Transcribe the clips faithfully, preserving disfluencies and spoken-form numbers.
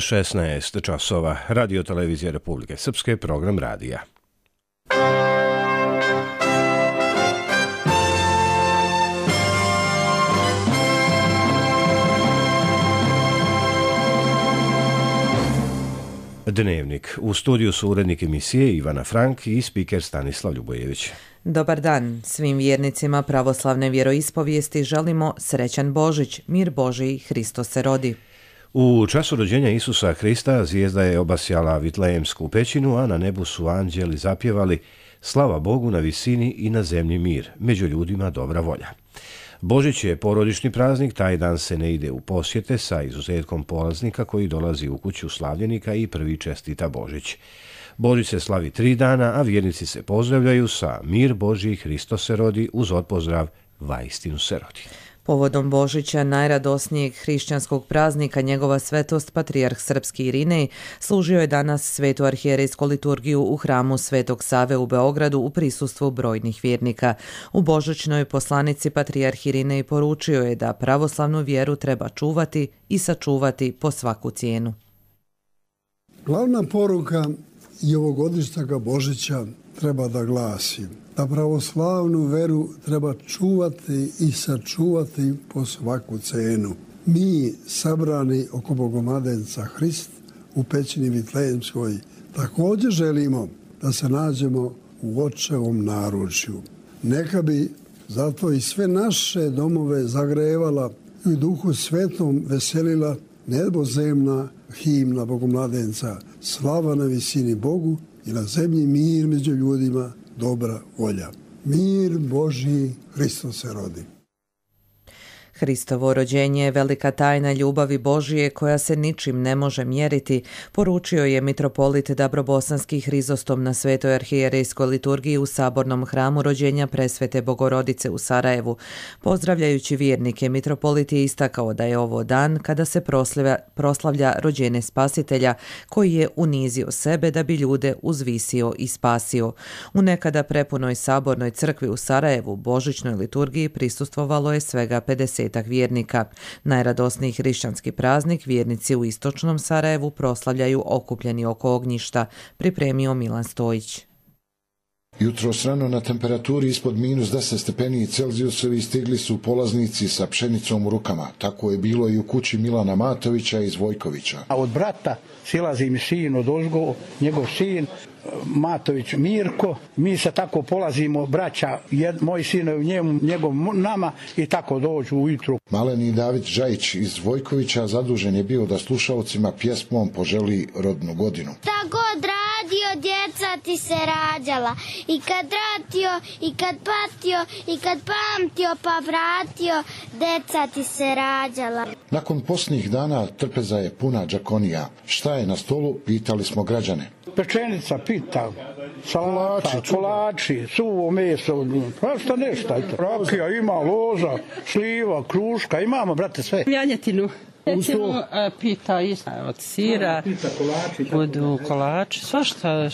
šesnaest časova, Radio televizija Republike Srpske, program radija. Dnevnik. U studiju su urednik emisije Ivana Frank i spiker Stanislav Ljubojević. Dobar dan. Svim vjernicima pravoslavne vjeroispovijesti želimo srećan Božić, mir Božiji, Hristos se rodi. U času rođenja Isusa Hrista zvijezda je obasjala Vitlejemsku pećinu, a na nebu su anđeli zapjevali slava Bogu na visini i na zemlji mir, među ljudima dobra volja. Božić je porodični praznik, taj dan se ne ide u posjete sa izuzetkom polaznika koji dolazi u kuću slavljenika i prvi čestita Božić. Božić se slavi tri dana, a vjernici se pozdravljaju sa mir Božji, Hristos se rodi, uz odpozdrav vaistinu se rodi. Povodom Božića, najradosnijeg hrišćanskog praznika, njegova svetost patrijarh srpski Irinej služio je danas svetu arhijerejsku liturgiju u hramu Svetog Save u Beogradu u prisustvu brojnih vjernika. U božićnoj poslanici patrijarh Irinej poručio je da pravoslavnu vjeru treba čuvati i sačuvati po svaku cijenu. Glavna poruka i ovogodišnjega Božića treba da glasi da pravoslavnu veru treba čuvati i sačuvati po svaku cenu. Mi, sabrani oko Bogomladenca Hrist u pećini Vitlejemskoj, također želimo da se nađemo u očevom naručju. Neka bi zato i sve naše domove zagrevala i u duhu svetom veselila nebozemna himna Bogomladenca, slava na visini Bogu i na zemlji mir među ljudima, dobra volja. Mir Božji, Hristos se rodi. Hristovo rođenje je velika tajna ljubavi Božije koja se ničim ne može mjeriti, poručio je mitropolit Dabrobosanski Hrizostom na Svetoj arhijerejskoj liturgiji u sabornom hramu rođenja Presvete Bogorodice u Sarajevu. Pozdravljajući vjernike, mitropolit je istakao da je ovo dan kada se proslavlja, proslavlja rođenje Spasitelja koji je unizio sebe da bi ljude uzvisio i spasio. U nekada prepunoj sabornoj crkvi u Sarajevu božićnoj liturgiji prisustvovalo je svega pedeset vjernika. Najradosniji hrišćanski praznik vjernici u istočnom Sarajevu proslavljaju okupljeni oko ognjišta, pripremio Milan Stojić. Jutros rano na temperaturi ispod minus deset stepeni Celzijusovi stigli su polaznici sa pšenicom u rukama. Tako je bilo i u kući Milana Matovića iz Vojkovića. A od brata silazi mi sin od ozgo, njegov sin Matović Mirko. Mi se tako polazimo, braća, jed, moj sinovi njemu, njegov nama i tako dođu ujutru. Maleni David Žajić iz Vojkovića zadužen je bio da slušalcima pjesmom poželi rodnu godinu. Tako radio, djeca ti se rađala, i kad ratio, i kad patio, i kad pamtio pa vratio, djeca ti se rađala. Nakon posljednjih dana trpeza je puna džakonija. Šta je na stolu, pitali smo građane. Pečenica, pita, salata, kolači, suvo meso, pa šta nešto. Rakija ima, loza, sliva, kruška, imamo, brate, sve. Janjetinu. Recimo, pita isto od sira, budu kolači, svašta.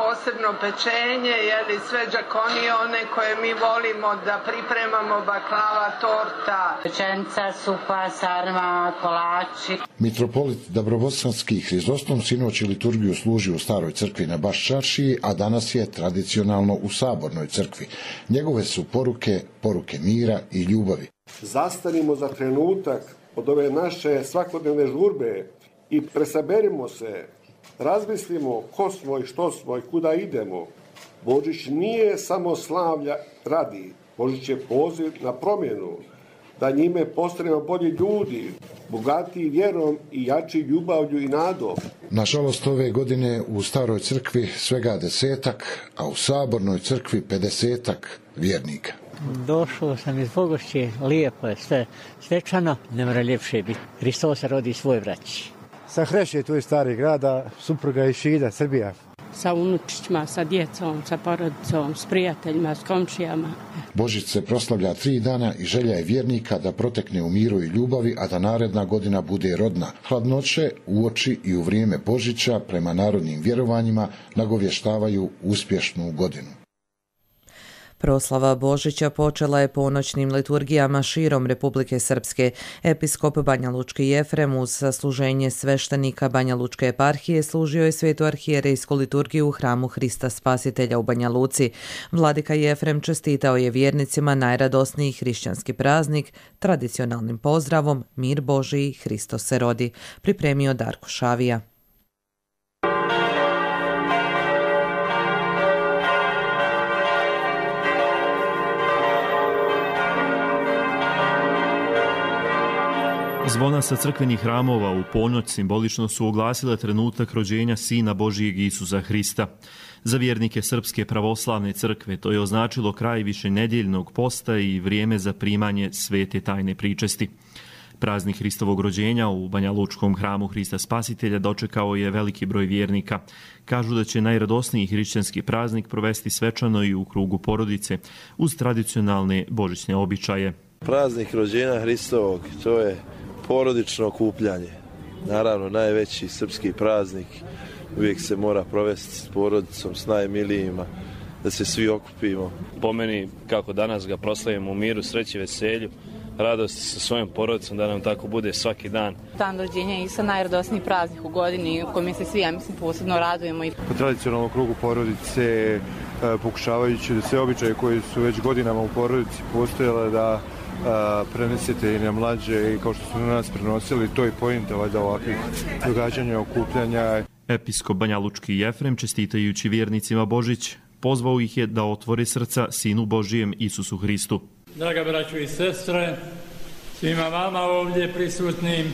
Posebno pečenje, jeli sve džakonije, one koje mi volimo da pripremamo, baklava, torta. Pečenica, supa, sarma, kolači. Mitropolit Dabrobosanski Hrizostom sinoć liturgiju služi u staroj crkvi na Baščaršiji, a danas je tradicionalno u sabornoj crkvi. Njegove su poruke, poruke mira i ljubavi. Zastanimo za trenutak od ove naše svakodnevne žurbe i presaberimo se, razmislimo ko smo i što smo i kuda idemo. Božić nije samo slavlja radi, Božić je poziv na promjenu, da njime postanemo bolji ljudi, bogatiji vjerom i jači ljubavlju i nadom. Nažalost, ove godine u staroj crkvi svega desetak, a u sabornoj crkvi pedesetak vjernika. Došao sam iz Bogošće, lijepo je sve svečano, ne mora ljepše biti. Hristos se rodi svoj braći. Sa Hreše, tu je stari grada, supruga iz Šida, Srbija. Sa unučićima, sa djecom, sa porodicom, s prijateljima, s komšijama. Božić se proslavlja tri dana i želja je vjernika da protekne u miru i ljubavi, a da naredna godina bude rodna. Hladnoće uoči i u vrijeme Božića prema narodnim vjerovanjima nagovještavaju uspješnu godinu. Proslava Božića počela je ponoćnim liturgijama širom Republike Srpske. Episkop banjalučki Jefrem uz sasluženje sveštenika Banjalučke eparhije služio je svetu arhijerejsku liturgiju u hramu Hrista Spasitelja u Banja Luci. Vladika Jefrem čestitao je vjernicima najradosniji hrišćanski praznik tradicionalnim pozdravom Mir Božiji, Hristos se rodi, pripremio Darko Šavija. Zvona sa crkvenih hramova u ponoć simbolično su oglasile trenutak rođenja Sina Božijeg Isusa Hrista. Za vjernike Srpske pravoslavne crkve to je označilo kraj višenedjeljnog posta i vrijeme za primanje svete tajne pričesti. Praznik Hristovog rođenja u banjalučkom hramu Hrista Spasitelja dočekao je veliki broj vjernika. Kažu da će najradosniji hrišćanski praznik provesti svečano i u krugu porodice uz tradicionalne božićne običaje. Praznik rođenja Hristovog, to je porodično okupljanje. Naravno, najveći srpski praznik uvijek se mora provesti s porodicom, s najmilijima, da se svi okupimo. Po meni, kako danas ga proslavimo u miru, sreći, veselju, radosti sa svojom porodicom, da nam tako bude svaki dan. Dan rođenja je isto najradosniji praznik u godini, u kojem se svi, ja mislim, posebno radujemo. Po tradicionalnom krugu porodice, pokušavajući da sve običaje koji su već godinama u porodici postojale, da A, prenesete i na mlađe i kao što su na nas prenosili, to je pointa valjda ovakvih događanja, okupljanja. Episkop banjalučki Jefrem, čestitajući vjernicima Božić, pozvao ih je da otvore srca Sinu Božijem Isusu Hristu. Draga braćo i sestre, svima vama ovdje prisutnim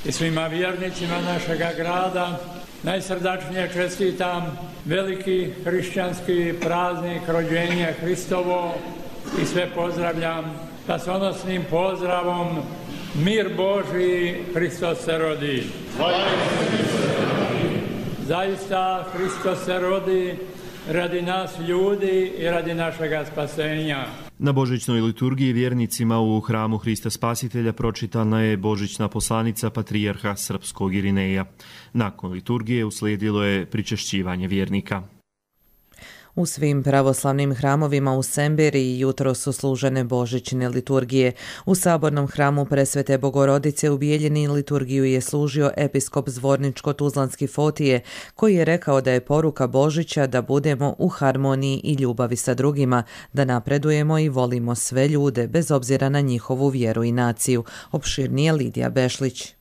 i svima vjernicima našega grada najsrdačnije čestitam veliki hrišćanski praznik rođenja Hristovo i sve pozdravljam spasonosnim pozdravom Mir Božiji, Hristos se rodi. Zaista Hristos se rodi radi nas ljudi i radi našega spasenja. Na božićnoj liturgiji vjernicima u hramu Hrista Spasitelja pročitana je božićna poslanica patrijarha srpskog Irineja. Nakon liturgije uslijedilo je pričešćivanje vjernika. U svim pravoslavnim hramovima u Semberiji jutro su služene božićne liturgije. U sabornom hramu Presvete Bogorodice u Bijeljini liturgiju je služio episkop Zvorničko-Tuzlanski Fotije, koji je rekao da je poruka Božića da budemo u harmoniji i ljubavi sa drugima, da napredujemo i volimo sve ljude bez obzira na njihovu vjeru i naciju. Opširnije Lidija Bešlić.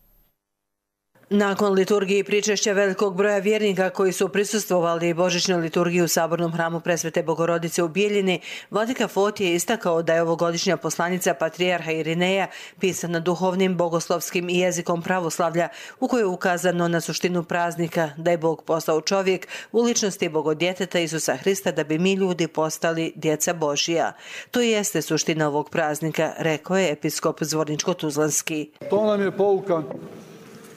Nakon liturgiji pričešća velikog broja vjernika koji su prisustvovali božićnoj liturgiji u sabornom hramu Presvete Bogorodice u Bijeljini, vladika Fotije je istakao da je ovogodišnja poslanica patrijarha Irineja pisana duhovnim, bogoslovskim i jezikom pravoslavlja, u kojoj je ukazano na suštinu praznika, da je Bog postao čovjek u ličnosti Bogodjeteta Isusa Hrista da bi mi ljudi postali djeca Božija. To jeste suština ovog praznika, rekao je episkop Zvorničko-Tuzlanski. To nam je pouka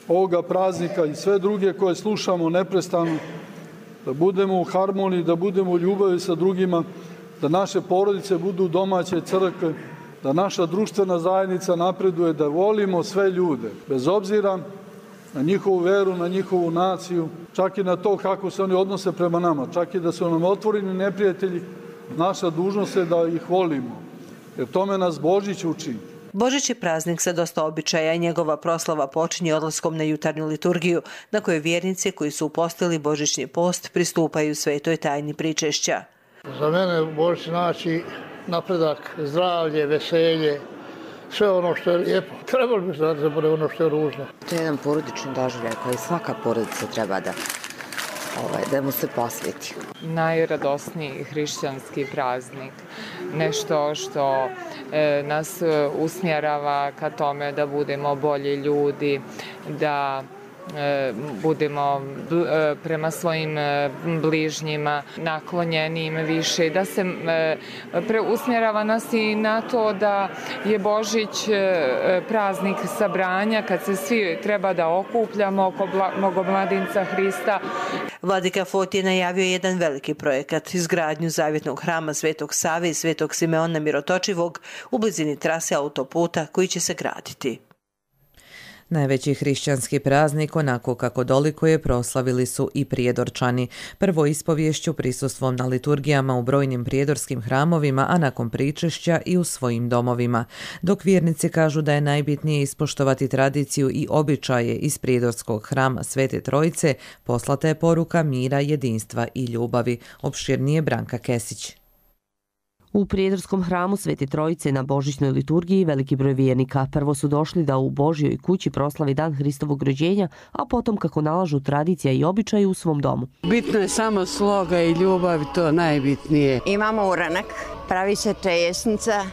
ovoga praznika i sve druge koje slušamo neprestano, da budemo u harmoniji, da budemo u ljubavi sa drugima, da naše porodice budu domaće crkve, da naša društvena zajednica napreduje, da volimo sve ljude, bez obzira na njihovu veru, na njihovu naciju, čak i na to kako se oni odnose prema nama, čak i da su nam otvoreni neprijatelji, naša dužnost je da ih volimo, jer tome nas Božić uči. Božić je praznik sa dosta običaja i njegova proslava počinje odlaskom na jutarnju liturgiju, na kojoj vjernici koji su upostili božićni post pristupaju svetoj tajni pričešća. Za mene Božić znači napredak, zdravlje, veselje, sve ono što je lijepo. Trebalo bi da zaboraviti ono što je ružno. To je jedan porodični doživljaj koji svaka porodica treba da, ovaj, da mu se posveti. Najradosniji hrišćanski praznik, nešto što e, nas usmjerava ka tome da budemo bolji ljudi, da e, budemo bl, e, prema svojim e, bližnjima naklonjenijim više, da se e, preusmjerava nas i na to da je Božić e, praznik sabranja, kad se svi treba da okupljamo oko Bogomladinca Hrista. Vladika Fotije najavio jedan veliki projekat, izgradnju zavjetnog hrama Svetog Save i Svetog Simeona Mirotočivog u blizini trase autoputa koji će se graditi. Najveći hrišćanski praznik, onako kako dolikuje, proslavili su i Prijedorčani. Prvo ispovješću prisustvom na liturgijama u brojnim prijedorskim hramovima, a nakon pričešća i u svojim domovima. Dok vjernici kažu da je najbitnije ispoštovati tradiciju i običaje iz prijedorskog hrama Svete Trojice, poslata je poruka mira, jedinstva i ljubavi. Opširnije Branka Kesić. U Prijedorskom hramu Svete Trojice na božićnoj liturgiji veliki broj vjernika prvo su došli da u Božjoj kući proslavi dan Hristovog rođenja, a potom, kako nalažu tradicija i običaji, u svom domu. Bitno je samo sloga i ljubav, to najbitnije. Imamo uranak, pravi se čejesnica,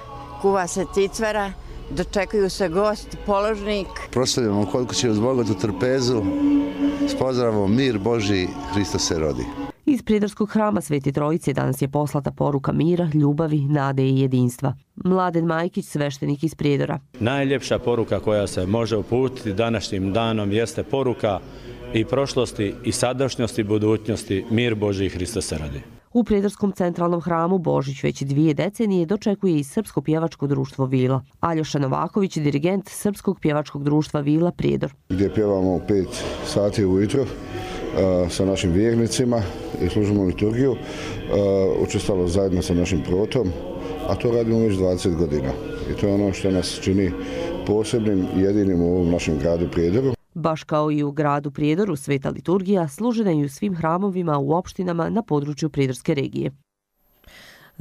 kuva se cicvara, dočekuju se gosti, položnik. Proslavljamo kod kuće uz bogatu trpezu, s pozdravom mir Božji, Hristos se rodi. Iz Prijedorskog hrama Svete Trojice danas je poslata poruka mira, ljubavi, nade i jedinstva. Mladen Majkić, sveštenik iz Prijedora. Najljepša poruka koja se može uputiti današnjim danom jeste poruka i prošlosti i sadašnjosti i budućnosti, mir Božji, Hristos se rodi. U Prijedorskom centralnom hramu Božić već dvije decenije dočekuje i Srpsko pjevačko društvo Vila. Aljoša Novaković, dirigent Srpskog pjevačkog društva Vila Prijedor. Gdje pjevamo u pet sati ujutro sa našim vjernicima i služimo liturgiju, učestvalo zajedno sa našim protom, a to radimo već dvadeset godina. I to je ono što nas čini posebnim i jedinim u ovom našem gradu Prijedoru. Baš kao i u gradu Prijedoru, sveta liturgija služena je u svim hramovima u opštinama na području Prijedorske regije.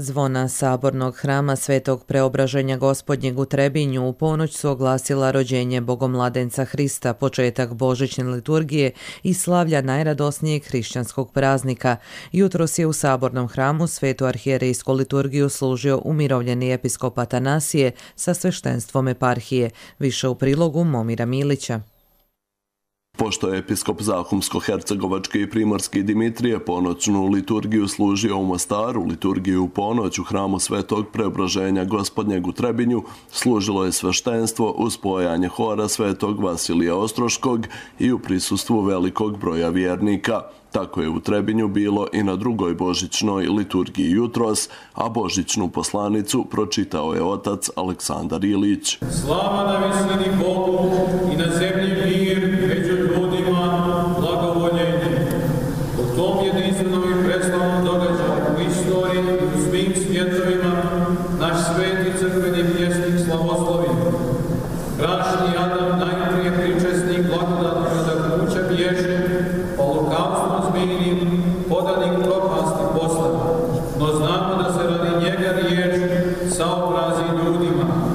Zvona sabornog hrama Svetog Preobraženja Gospodnjeg u Trebinju u ponoć su oglasila rođenje Bogomladenca Hrista, početak božićne liturgije i slavlja najradosnijeg hrišćanskog praznika. Jutros je u sabornom hramu Svetu arhijerejsku liturgiju služio umirovljeni episkop Atanasije sa sveštenstvom eparhije. Više u prilogu Momira Milića. Pošto je episkop Zahumsko-Hercegovačke i Primorske Dimitrije ponoćnu liturgiju služio u Mostaru, liturgiju u ponoć u hramu Svetog Preobraženja Gospodnjeg u Trebinju služilo je sveštenstvo uz spojanje hora Svetog Vasilija Ostroškog i u prisustvu velikog broja vjernika. Tako je u Trebinju bilo i na drugoj božićnoj liturgiji jutros, a božićnu poslanicu pročitao je otac Aleksandar Ilić. Slava na visini Bogu i na zemlji mir među ljudima, blagovoljenje. U tom jedinstvenom i preslavnom događaju u istoriji i u svim svjetovima naš sveti crkveni pjesnik slavoslovi. Grašni Adam najprije pričesnik blagodatnog nadahnuća bježe, holokaustu zmijenim, podanik propasti posla. No znamo da se radi njega riječ saobrazi ljudima.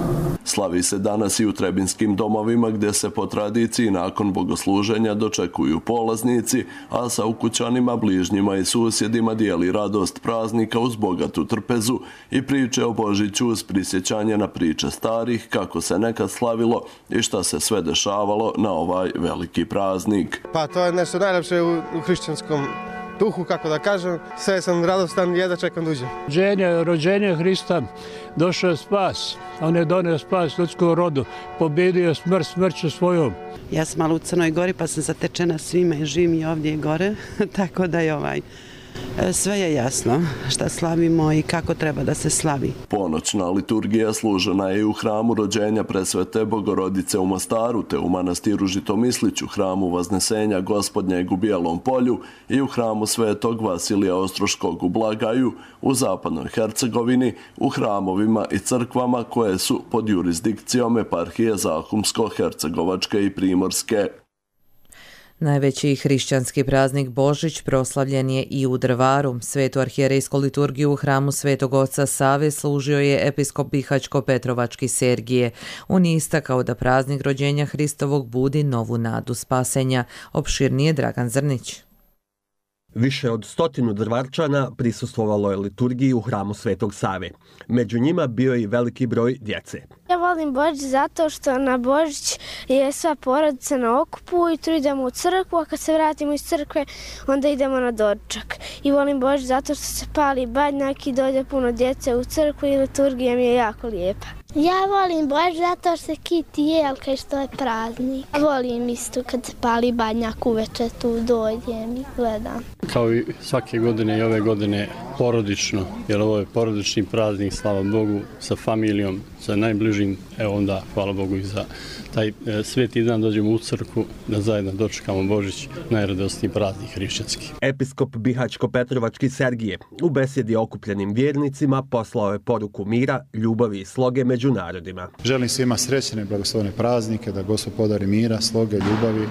Slavi se danas i u trebinskim domovima gdje se po tradiciji nakon bogosluženja dočekuju polaznici, a sa ukućanima, bližnjima i susjedima dijeli radost praznika uz bogatu trpezu i priče o Božiću uz prisjećanje na priče starih, kako se nekad slavilo i šta se sve dešavalo na ovaj veliki praznik. Pa to je nešto najljepše u, u hrišćanskom duhu, kako da kažem. Sve sam radostan i jedva čekam duže. Rođenje, rođenje Hrista, došao je spas. On je donio spas ljudskom rodu. Pobjedio smrt smrću svojom. Ja sam malo u Crnoj Gori pa sam zatečena svime i živim i ovdje i gore. Tako da je ovaj... Sve je jasno šta slavimo i kako treba da se slavi. Ponoćna liturgija služena je u hramu rođenja Presvete Bogorodice u Mostaru, te u manastiru Žitomisliću, hramu Vaznesenja Gospodnjeg u Bijelom Polju i u hramu Svetog Vasilija Ostroškog u Blagaju, u zapadnoj Hercegovini, u hramovima i crkvama koje su pod jurisdikcijom eparhije Zahumsko-Hercegovačke i Primorske. Najveći hrišćanski praznik Božić proslavljen je i u Drvaru. Svetu arhijerejsku liturgiju u hramu Svetog Oca Save služio je episkop Bihaćko-Petrovački Sergije. On je istakao da praznik rođenja Hristovog budi novu nadu spasenja. Opširnije Dragan Zrnić. Više od stotinu Drvarčana prisustvovalo je liturgiji u hramu Svetog Save. Među njima bio je i veliki broj djece. Ja volim Božić zato što na Božić je sva porodica na okupu, ujutro idemo u crkvu, a kad se vratimo iz crkve onda idemo na doručak. I volim Božić zato što se pali badnjak i dođe puno djece u crkvu i liturgija mi je jako lijepa. Ja volim Božić zato što se kiti jelka i što je praznik. Volim isto kad se pali badnjak uveče, tu dođem i gledam. Kao i svake godine i ove godine porodično, jer ovo je porodični praznik, slava Bogu, sa familijom, sa najbližim, evo onda, hvala Bogu i za taj e, sveti dan dođemo u crkvu da zajedno dočekamo Božić, najradosniji praznik hrišćanski. Episkop Bihaćko-Petrovački Sergije u besedi okupljenim vjernicima poslao je poruku mira, ljubavi i sloge među narodima. Želim svima srećne i blagoslovene praznike, da Gospod podari mira, sloge, ljubavi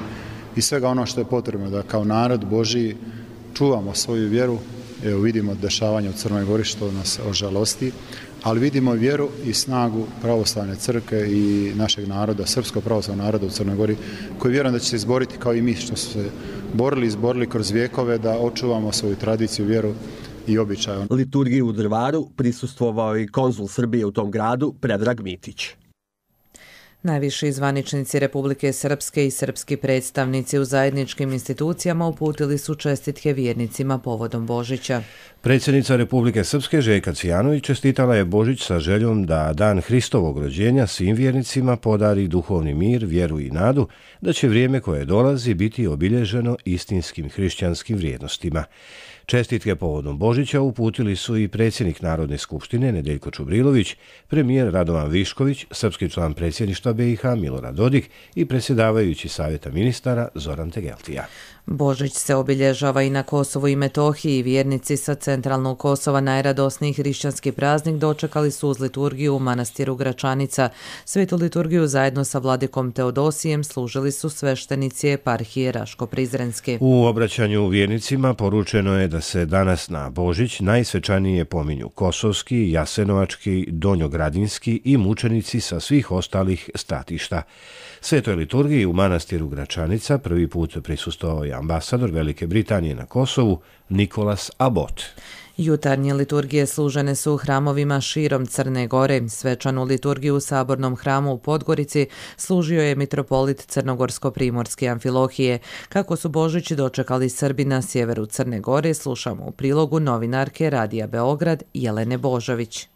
i svega ono što je potrebno da kao narod Božiji čuvamo svoju vjeru. Evo vidimo dešavanja u Crnoj Gori što nas ožalosti, ali vidimo vjeru i snagu pravoslavne crkve i našeg naroda, srpskog pravoslavnog naroda u Crnoj Gori, koji vjerujem da će se izboriti kao i mi što su se borili, izborili kroz vjekove da očuvamo svoju tradiciju, vjeru i običaj. Liturgiji u Drvaru prisustvovao i konzul Srbije u tom gradu Predrag Mitić. Najviši zvaničnici Republike Srpske i srpski predstavnici u zajedničkim institucijama uputili su čestitke vjernicima povodom Božića. Predsjednica Republike Srpske Željka Cvijanović čestitala je Božić sa željom da dan Hristovog rođenja svim vjernicima podari duhovni mir, vjeru i nadu, da će vrijeme koje dolazi biti obilježeno istinskim hrišćanskim vrijednostima. Čestitke povodom Božića uputili su i predsjednik Narodne skupštine Nedeljko Čubrilović, premijer Radovan Višković, srpski član predsjedništva B i H Milorad Dodik i predsjedavajući savjeta ministara Zoran Tegeltija. Božić se obilježava i na Kosovu i Metohiji. Vjernici sa centralnog Kosova najradosniji hrišćanski praznik dočekali su uz liturgiju u manastiru Gračanica. Svetu liturgiju zajedno sa vladikom Teodosijem služili su sveštenici eparhije Raško-Prizrenske. U obraćanju vjernicima poručeno je da se danas na Božić najsvečanije pominju kosovski, jasenovački, donjogradinski i mučenici sa svih ostalih stratišta. Svetoj liturgiji u manastiru Gračanica prvi put prisustvovao je ambasador Velike Britanije na Kosovu Nikolas Abbott. Jutarnje liturgije služene su u hramovima širom Crne Gore. Svečanu liturgiju u Sabornom hramu u Podgorici služio je mitropolit Crnogorsko-Primorske Amfilohije. Kako su Božić dočekali Srbi na sjeveru Crne Gore, slušamo u prilogu novinarke Radija Beograd Jelene Božović.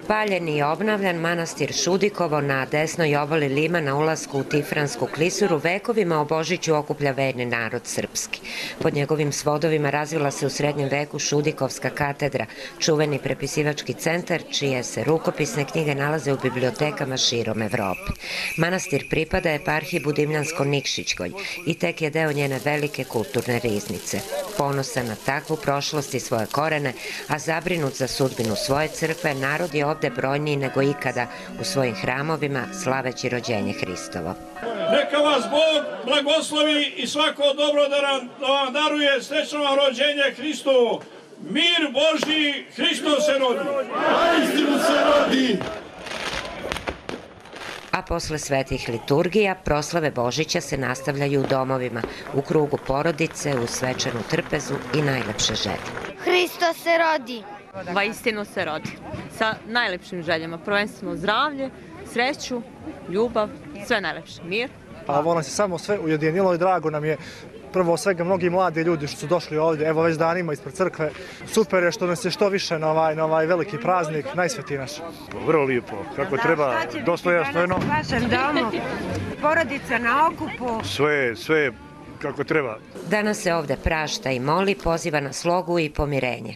Paljen i obnavljan manastir Šudikovo na desnoj obali Lima na ulasku u Tifransku klisuru vekovima o Božiću okuplja verni narod srpski. Pod njegovim svodovima razvila se u srednjem veku Šudikovska katedra, čuveni prepisivački centar, čije se rukopisne knjige nalaze u bibliotekama širom Evrope. Manastir pripada eparhiji Budimljansko-Nikšićkoj i tek je deo njene velike kulturne riznice. Ponosan na takvu prošlost i svoje korene, a zabrinut za sudbinu svoje crkve, narod je ovde brojniji nego ikada u svojim hramovima slaveći rođenje Hristovo. Neka vas Bog blagoslovi i svako dobro da vam daruje srećno vam rođenje Hristovo. Mir Božji, Hristo se rodi. Istinu se rodi. A posle svetih liturgija, proslave Božića se nastavljaju u domovima, u krugu porodice, u svečanu trpezu i najlepše želje. Hristo se rodi. Vaistinu se rodi. Sa najlepšim željama, prvenstveno zdravlje, sreću, ljubav, sve najlepše, mir. Pa ovo nam se samo sve ujedinilo i drago nam je. Prvo svega mnogi mladi ljudi što su došli ovdje, evo već danima ispred crkve. Super je što nas je što više na ovaj, na ovaj veliki praznik, najsvetiji naš. Vrlo lijepo, kako treba, dostojanstveno. U vašem domu, porodica na okupu. Sve, sve kako treba. Danas se ovde prašta i moli, poziva na slogu i pomirenje.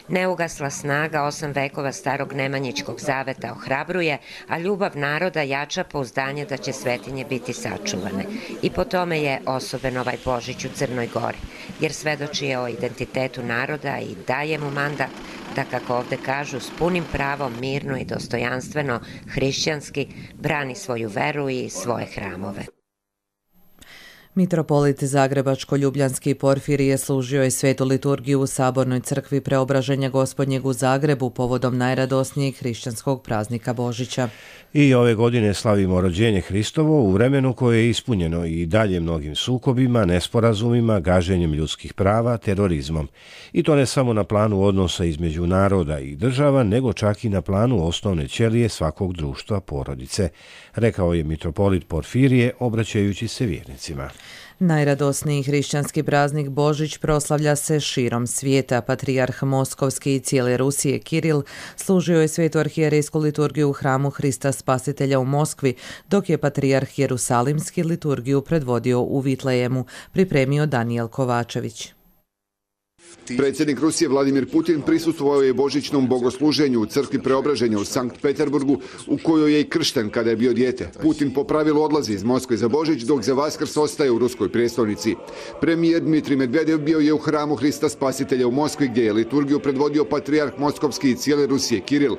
Neugasla snaga osam vekova starog Nemanjićkog zaveta ohrabruje, a ljubav naroda jača pouzdanje da će svetinje biti sačuvane. I po tome je osoben ovaj Božić u Crnoj Gori, jer svedoči je o identitetu naroda i daje mu mandat da, kako ovde kažu, s punim pravom, mirno i dostojanstveno, hrišćanski, brani svoju veru i svoje hramove. Mitropolit Zagrebačko-Ljubljanski Porfirije služio je svetu liturgiju u Sabornoj crkvi Preobraženja Gospodnjeg u Zagrebu povodom najradosnijeg hrišćanskog praznika Božića. I ove godine slavimo rođenje Hristovo u vremenu koje je ispunjeno i dalje mnogim sukobima, nesporazumima, gaženjem ljudskih prava, terorizmom. I to ne samo na planu odnosa između naroda i država, nego čak i na planu osnovne ćelije svakog društva, porodice, rekao je mitropolit Porfirije obraćajući se vjernicima. Najradosniji hrišćanski praznik Božić proslavlja se širom svijeta. Patrijarh Moskovski i cijele Rusije Kiril služio je svetu arhijerejsku liturgiju u hramu Hrista Spasitelja u Moskvi, dok je patrijarh Jerusalimski liturgiju predvodio u Vitlejemu, pripremio Danijel Kovačević. Predsjednik Rusije Vladimir Putin prisustvovao je božićnom bogosluženju u crkvi Preobraženja u Sankt Peterburgu, u kojoj je i kršten kada je bio dijete. Putin po pravilu odlazi iz Moskve za Božić, dok za Vaskrs ostaje u ruskoj prijestolnici. Premijer Dmitrij Medvedev bio je u hramu Hrista Spasitelja u Moskvi, gdje je liturgiju predvodio patrijarh Moskovski i cijele Rusije Kiril.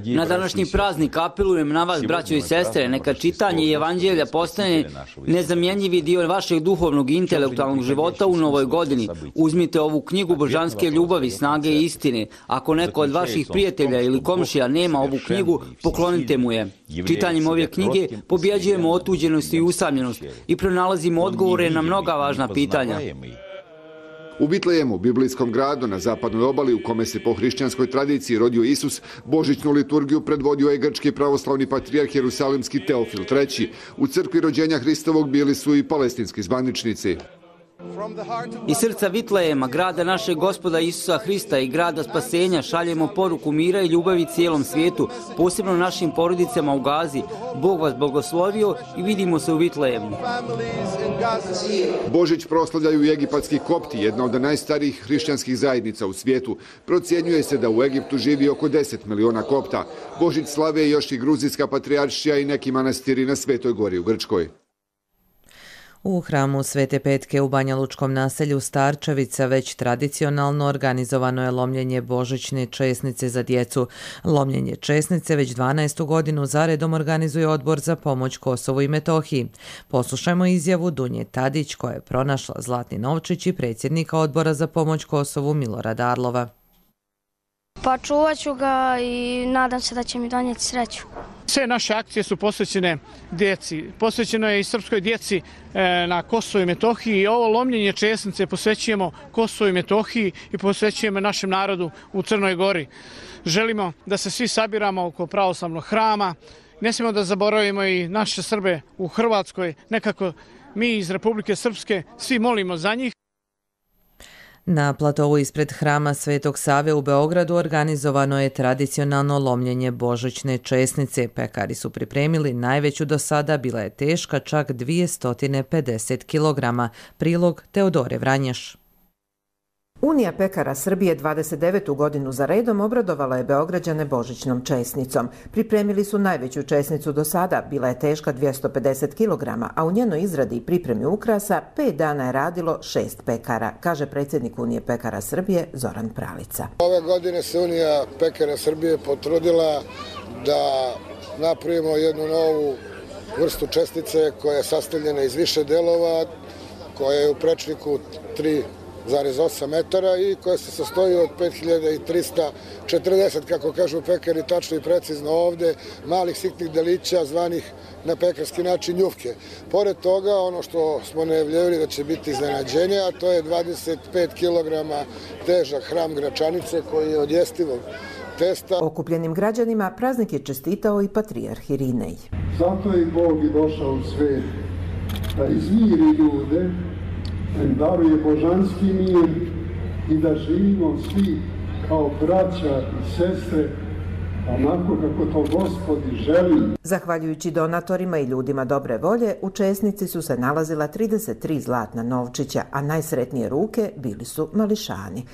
Na današnji praznik apelujem na vas, braćo i sestre, neka čitanje i evanđelja postane nezamjenjivi dio vašeg duhovnog i intelektualnog života u novoj godini. Uzmite ovu knjigu božanske ljubavi, snage i istine. Ako neko od vaših prijatelja ili komšija nema ovu knjigu, poklonite mu je. Čitanjem ove knjige pobjeđujemo otuđenost i usamljenost i pronalazimo odgovore na mnoga važna pitanja. U Vitlejemu, biblijskom gradu na zapadnoj obali u kome se po hrišćanskoj tradiciji rodio Isus, božićnu liturgiju predvodio je grčki pravoslavni patrijarh Jerusalimski Teofil treći. U crkvi rođenja Hristovog bili su i palestinski zvaničnici. Iz srca Vitlejema, grada našeg Gospoda Isusa Hrista i grada spasenja, šaljemo poruku mira i ljubavi cijelom svijetu, posebno našim porodicama u Gazi. Bog vas blagoslovio i vidimo se u Vitlejemu. Božić proslavljaju i egipatski kopti, jedna od najstarijih hrišćanskih zajednica u svijetu. Procjenjuje se da u Egiptu živi oko deset miliona kopta. Božić slave još i gruzijska patrijaršija i neki manastiri na Svetoj gori u Grčkoj. U hramu Svete Petke u Banjalučkom naselju Starčevica već tradicionalno organizovano je lomljenje božićne česnice za djecu. Lomljenje česnice već dvanaestu godinu zaredom organizuje Odbor za pomoć Kosovu i Metohiji. Poslušajmo izjavu Dunje Tadić koja je pronašla zlatni novčić i predsjednika Odbora za pomoć Kosovu Milorada Arlova. Pa čuvat ću ga i nadam se da će mi donijeti sreću. Sve naše akcije su posvećene djeci. Posvećeno je i srpskoj djeci na Kosovu i Metohiji i ovo lomljenje česnice posvećujemo Kosovu i Metohiji i posvećujemo našem narodu u Crnoj Gori. Želimo da se svi sabiramo oko pravoslavnog hrama. Ne smijemo da zaboravimo i naše Srbe u Hrvatskoj. Nekako mi iz Republike Srpske svi molimo za njih. Na platovu ispred hrama Svetog Save u Beogradu organizovano je tradicionalno lomljenje božićne česnice. Pekari su pripremili najveću do sada, bila je teška čak dvjesto pedeset kilograma. Prilog Teodore Vranješ. Unija pekara Srbije dvadeset devetu godinu za redom obradovala je Beograđane božićnom česnicom. Pripremili su najveću česnicu do sada, bila je teška dvjesto pedeset kilograma, a u njenoj izradi i pripremi ukrasa pet dana je radilo šest pekara, kaže predsjednik Unije pekara Srbije Zoran Pravica. Ove godine se Unija pekara Srbije potrudila da napravimo jednu novu vrstu česnice koja je sastavljena iz više delova, koja je u prečniku tri zarez osam metara i koja se sastoji od pet hiljada trista četrdeset, kako kažu pekari, tačno i precizno ovde, malih sitnih delića zvanih na pekarski način njufke. Pored toga, ono što smo najavljivali da će biti iznenađenje, a to je dvadeset pet kilograma težak hram gračanice koji je od jestivog testa. Okupljenim građanima praznik je čestitao i patrijarh Irinej. Zato je Bog i došao u svijet da izmiri ljude, da im daruje božanski mir i da živimo svi kao braća i sestre onako kako to Gospodi želi. Zahvaljujući donatorima i ljudima dobre volje, u česnici su se nalazila trideset tri zlatna novčića, a najsretnije ruke bili su mališani.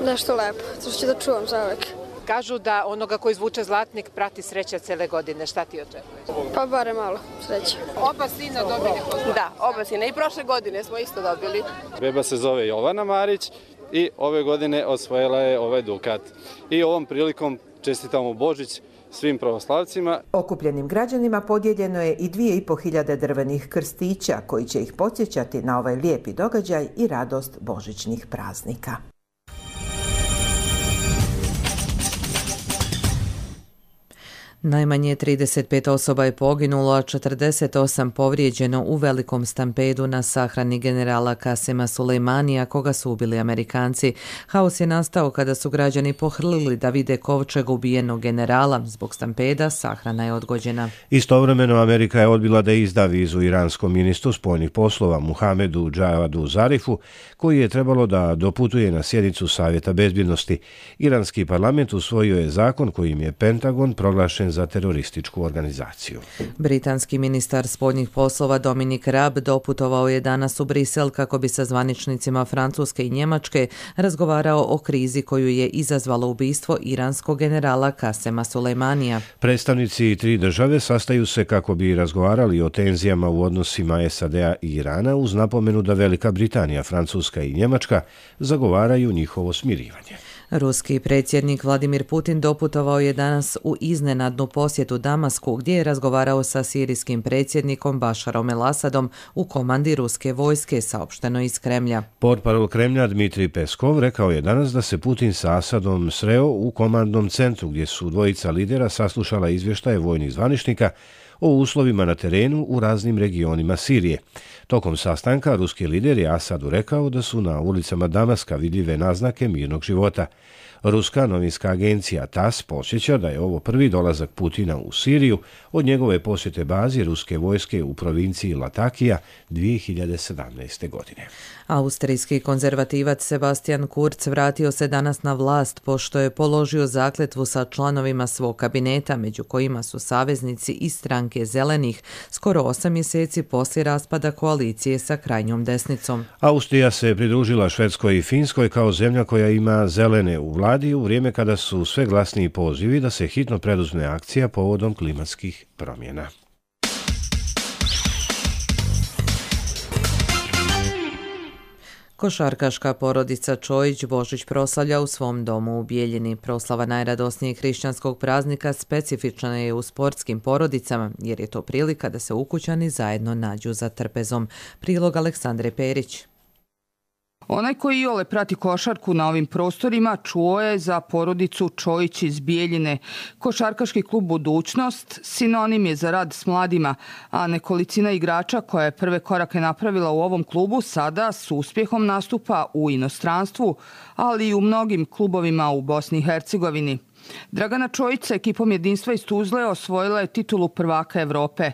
Nešto lepo, to ću da čuvam za uvek. Kažu da onoga koji izvuče zlatnik prati sreća cele godine. Šta ti očekuješ? Pa bare malo sreće. Oba sina dobili pozdrav. Da, oba sina. I prošle godine smo isto dobili. Beba se zove Jovana Marić i ove godine osvojila je ovaj dukat. I ovom prilikom čestitamo Božić svim pravoslavcima. Okupljenim građanima podijeljeno je i dvije i po hiljade drvenih krstića koji će ih podsjećati na ovaj lijepi događaj i radost božićnih praznika. Najmanje trideset pet osoba je poginulo, a četrdeset osam povrijeđeno u velikom stampedu na sahrani generala Kasema Sulejmanija, koga su ubili Amerikanci. Haos je nastao kada su građani pohrlili da vide kovčeg ubijenog generala. Zbog stampeda sahrana je odgođena. Istovremeno Amerika je odbila da izda vizu iranskom ministru spoljnih poslova Muhamedu Džavadu Zarifu, koji je trebalo da doputuje na sjednicu Savjeta bezbjednosti. Iranski parlament usvojio je zakon kojim je Pentagon proglašen za terorističku organizaciju. Britanski ministar spoljnih poslova Dominic Raab doputovao je danas u Brisel kako bi sa zvaničnicima Francuske i Njemačke razgovarao o krizi koju je izazvalo ubistvo iranskog generala Kasema Sulejmanija. Predstavnici tri države sastaju se kako bi razgovarali o tenzijama u odnosima S A D-a i Irana uz napomenu da Velika Britanija, Francuska i Njemačka zagovaraju njihovo smirivanje. Ruski predsjednik Vladimir Putin doputovao je danas u iznenadnu posjetu Damasku gdje je razgovarao sa sirijskim predsjednikom Bašarom el-Asadom u komandi ruske vojske, saopšteno iz Kremlja. Portparol Kremlja Dmitrij Peskov rekao je danas da se Putin sa Asadom sreo u komandnom centru gdje su dvojica lidera saslušala izvještaje vojnih zvaničnika o uslovima na terenu u raznim regionima Sirije. Tokom sastanka ruski lider je Asadu rekao da su na ulicama Damaska vidljive naznake mirnog života. Ruska novinska agencija T A S posjeća da je ovo prvi dolazak Putina u Siriju od njegove posjete bazi ruske vojske u provinciji Latakija dvije hiljade sedamnaeste. godine. Austrijski konzervativac Sebastian Kurz vratio se danas na vlast pošto je položio zakletvu sa članovima svog kabineta, među kojima su saveznici iz stranke Zelenih, skoro osam mjeseci poslije raspada koalicije sa krajnjom desnicom. Austrija se pridružila Švedskoj i Finskoj kao zemlja koja ima zelene u vladi u vrijeme kada su sve glasniji pozivi da se hitno preduzme akcija povodom klimatskih promjena. Košarkaška porodica Čojić Božić proslavlja u svom domu u Bijeljini. Proslava najradosnijeg hrišćanskog praznika specifična je u sportskim porodicama, jer je to prilika da se ukućani zajedno nađu za trpezom. Prilog Aleksandre Perić. Onaj koji iole prati košarku na ovim prostorima čuo je za porodicu Čojić iz Bijeljine. Košarkaški klub Budućnost sinonim je za rad s mladima, a nekolicina igrača koja je prve korake napravila u ovom klubu sada s uspjehom nastupa u inostranstvu, ali i u mnogim klubovima u Bosni i Hercegovini. Dragana Čojić sa ekipom Jedinstva iz Tuzle osvojila je titulu prvaka Evrope.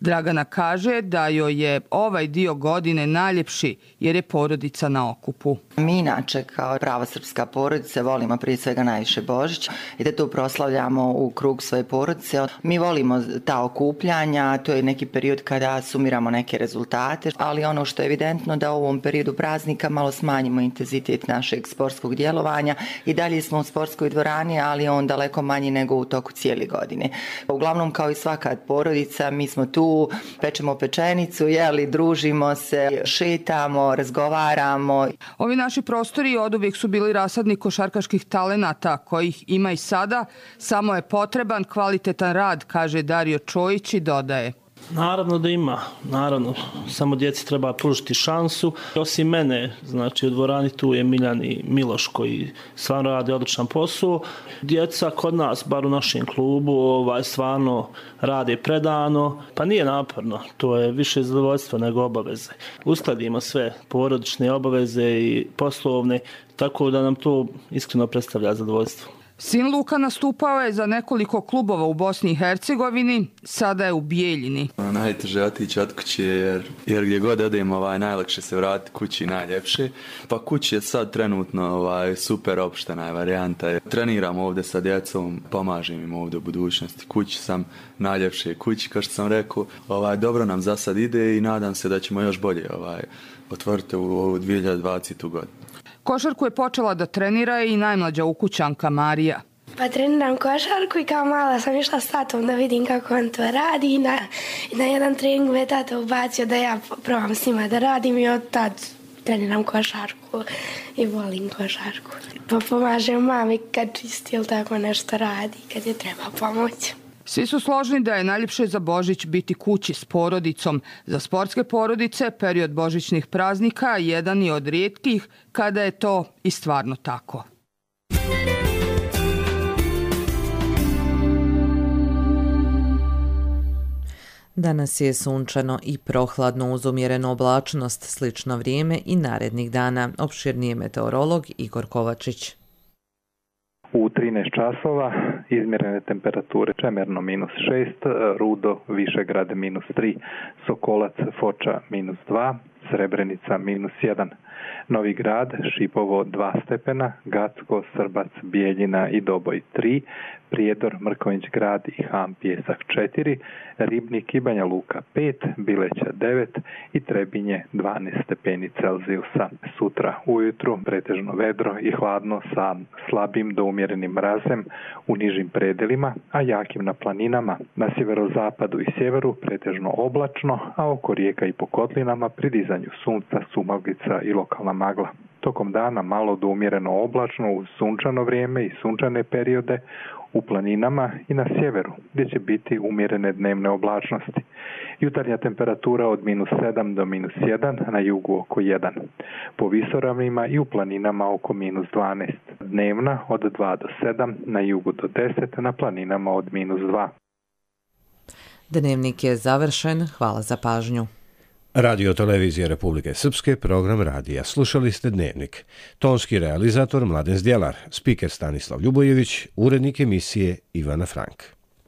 Dragana kaže da joj je ovaj dio godine najljepši jer je porodica na okupu. Mi inače kao prava srpska porodica volimo prije svega najviše Božić i da tu proslavljamo u krug svoje porodice. Mi volimo ta okupljanja, to je neki period kada sumiramo neke rezultate, ali ono što je evidentno da u ovom periodu praznika malo smanjimo intenzitet našeg sportskog djelovanja i dalje smo u sportskoj dvorani, ali on daleko manji nego u toku cijele godine. Uglavnom, kao i svaka porodica, mi smo tu, pečemo pečenicu, jeli, družimo se, šetamo, razgovaramo. Ovi naši prostori oduvijek su bili rasadnik košarkaških talenata, kojih ima i sada, samo je potreban kvalitetan rad, kaže Dario Čojić i dodaje. Naravno da ima, naravno, samo djeci treba pružiti šansu. Osim mene, znači u dvorani tu je Miljan i Miloš koji stvarno rade odličan posao. Djeca kod nas, bar u našem klubu, ovaj, stvarno rade predano, pa nije naporno, to je više zadovoljstvo nego obaveze. Uskladimo sve porodične obaveze i poslovne, tako da nam to iskreno predstavlja zadovoljstvo. Sin Luka nastupao je za nekoliko klubova u Bosni i Hercegovini, sada je u Bijeljini. Najteže je otići od kuće jer, jer gdje god odemo ovaj, najlakše se vratiti kući najljepše. Pa kući je sad trenutno ovaj, super opštena je varijanta. Treniram ovdje sa djecom, pomažem im ovdje u budućnosti. Kući sam najljepše kući, kao što sam rekao. Ovaj, dobro nam za sad ide i nadam se da ćemo još bolje ovaj, otvoriti u ovu dvije hiljade dvadesete. godinu. Košarku je počela da trenira i najmlađa ukućanka Marija. Pa treniram košarku i kao mala sam išla s tatom da vidim kako on to radi i na, i na jedan trening me tata ubacio da ja probam s njima da radim i od tad treniram košarku i volim košarku. Pa pomažem mami kad čisti ili tako nešto radi, kad je treba pomoć. Svi su složni da je najljepše za Božić biti kući s porodicom. Za sportske porodice period božićnih praznika jedan je od rijetkih kada je to i stvarno tako. Danas je sunčano i prohladno uz umjerenu oblačnost, slično vrijeme i narednih dana. Opširnije meteorolog Igor Kovačić. U trinaest časova izmjerene temperature Čemerno minus šest, Rudo, Višegrad minus tri, Sokolac, Foča minus dva, Srebrenica minus jedan. Novi Grad, Šipovo dva stepena, Gacko, Srbac, Bijeljina i Doboj tri, Prijedor, Mrkonjić Grad i Ham Pjesak četiri, Ribnik i Banja Luka pet, Bileća devet i Trebinje dvanaest stepeni Celzijusa. Sutra ujutru pretežno vedro i hladno sa slabim do umjerenim mrazem u nižim predelima, a jakim na planinama. Na sjeverozapadu i sjeveru pretežno oblačno, a oko rijeka i po kotlinama pri dizanju sunca, sumaglica i lokalna magla. Tokom dana malo do umjereno oblačno uz sunčano vrijeme i sunčane periode u planinama i na sjeveru, gdje će biti umjerene dnevne oblačnosti. Jutarnja temperatura od minus sedam do minus jedan, na jugu oko jedan. Po visoravnima i u planinama oko minus dvanaest. Dnevna od dva do sedam, na jugu do deset, na planinama od minus dva. Dnevnik je završen. Hvala za pažnju. Radio Televizije Republike Srpske, program radija. Slušali ste Dnevnik. Tonski realizator Mladen Zdjelar, spiker Stanislav Ljubojević, urednik emisije Ivana Frank.